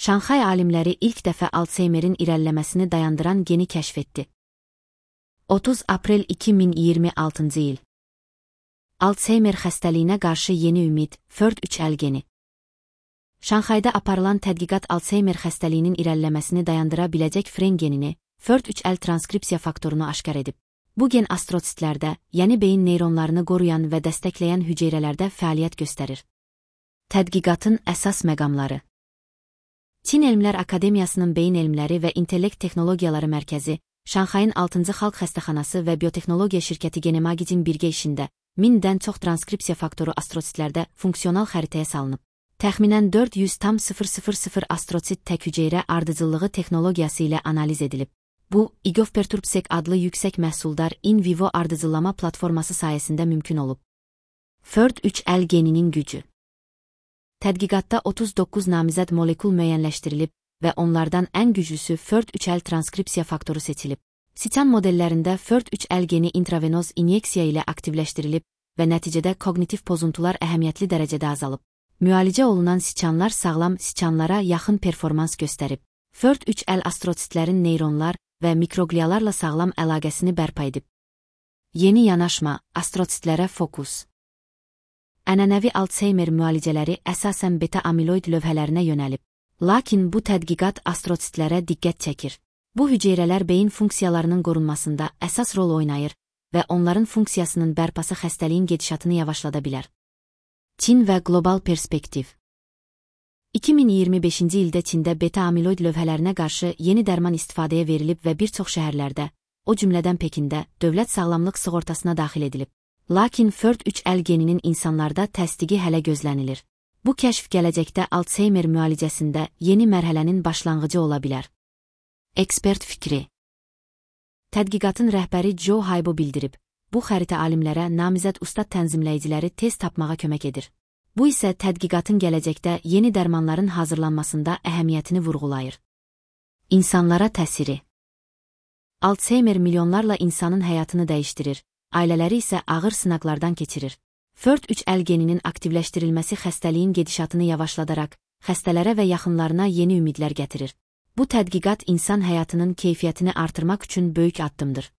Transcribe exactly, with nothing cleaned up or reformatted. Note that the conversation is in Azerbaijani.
Şanxay alimləri ilk dəfə Alzheimer'in irəliləməsini dayandıran geni kəşf etdi. otuz aprel iki min iyirmi altıncı il. Alzheimer xəstəliyinə qarşı yeni ümid, F R D üç L geni. Şanxayda aparılan tədqiqat Alzheimer xəstəliyinin irəliləməsini dayandıra biləcək F R E N genini, F R D üç L transkripsiya faktorunu aşkar edib. Bu gen astrositlərdə, yəni beyin neyronlarını qoruyan və dəstəkləyən hüceyrələrdə fəaliyyət göstərir. Tədqiqatın əsas məqamları. Çin Elmlər Akademiyasının Beyin Elmləri və İntellekt Texnologiyaları Mərkəzi, Şanxayın altıncı Xalq Xəstəxanası və Biotexnologiya şirkəti Genemagicin birgə işində mindən çox transkripsiya faktoru astrositlərdə funksional xəritəyə salınıb. Təxminən dörd yüz min astrosit tək hüceyrə ardıcıllığı texnologiyası ilə analiz edilib. Bu, IGOV-Perturbsec adlı yüksək məhsuldar in vivo ardıcıllama platforması sayəsində mümkün olub. F R D üç L geninin gücü. Tədqiqatda otuz doqquz namizəd molekul müəyyənləşdirilib və onlardan ən güclüsü F R D üç L transkripsiya faktoru seçilib. Siçan modellərində F R D üç L geni intravenoz inyeksiya ilə aktivləşdirilib və nəticədə kognitiv pozuntular əhəmiyyətli dərəcədə azalıb. Müalicə olunan siçanlar sağlam siçanlara yaxın performans göstərib. F R D üç L astrositlərin neyronlar və mikroglialarla sağlam əlaqəsini bərpa edib. Yeni yanaşma, astrositlərə fokus. Ənənəvi Alzheimer müalicələri əsasən beta-amiloid lövhələrinə yönəlib. Lakin bu tədqiqat astrositlərə diqqət çəkir. Bu hüceyrələr beyin funksiyalarının qorunmasında əsas rol oynayır və onların funksiyasının bərpası xəstəliyin gedişatını yavaşlada bilər. Çin və qlobal perspektiv. iki min iyirmi beşinci ildə Çində beta-amiloid lövhələrinə qarşı yeni dərman istifadəyə verilib və bir çox şəhərlərdə, o cümlədən Pekində, dövlət sağlamlıq sığortasına daxil edilib. Lakin F R D üç L geninin insanlarda təsdiqi hələ gözlənilir. Bu kəşf gələcəkdə Alzheimer müalicəsində yeni mərhələnin başlanğıcı ola bilər. Ekspert fikri. Tədqiqatın rəhbəri Joe Haibo bildirib, bu xəritə alimlərə namizəd ustad tənzimləyiciləri tez tapmağa kömək edir. Bu isə tədqiqatın gələcəkdə yeni dərmanların hazırlanmasında əhəmiyyətini vurğulayır. İnsanlara təsiri. Alzheimer milyonlarla insanın həyatını dəyişdirir, ailələri isə ağır sınaqlardan keçirir. F R D üç L geninin aktivləşdirilməsi xəstəliyin gedişatını yavaşladaraq, xəstələrə və yaxınlarına yeni ümidlər gətirir. Bu tədqiqat insan həyatının keyfiyyətini artırmaq üçün böyük addımdır.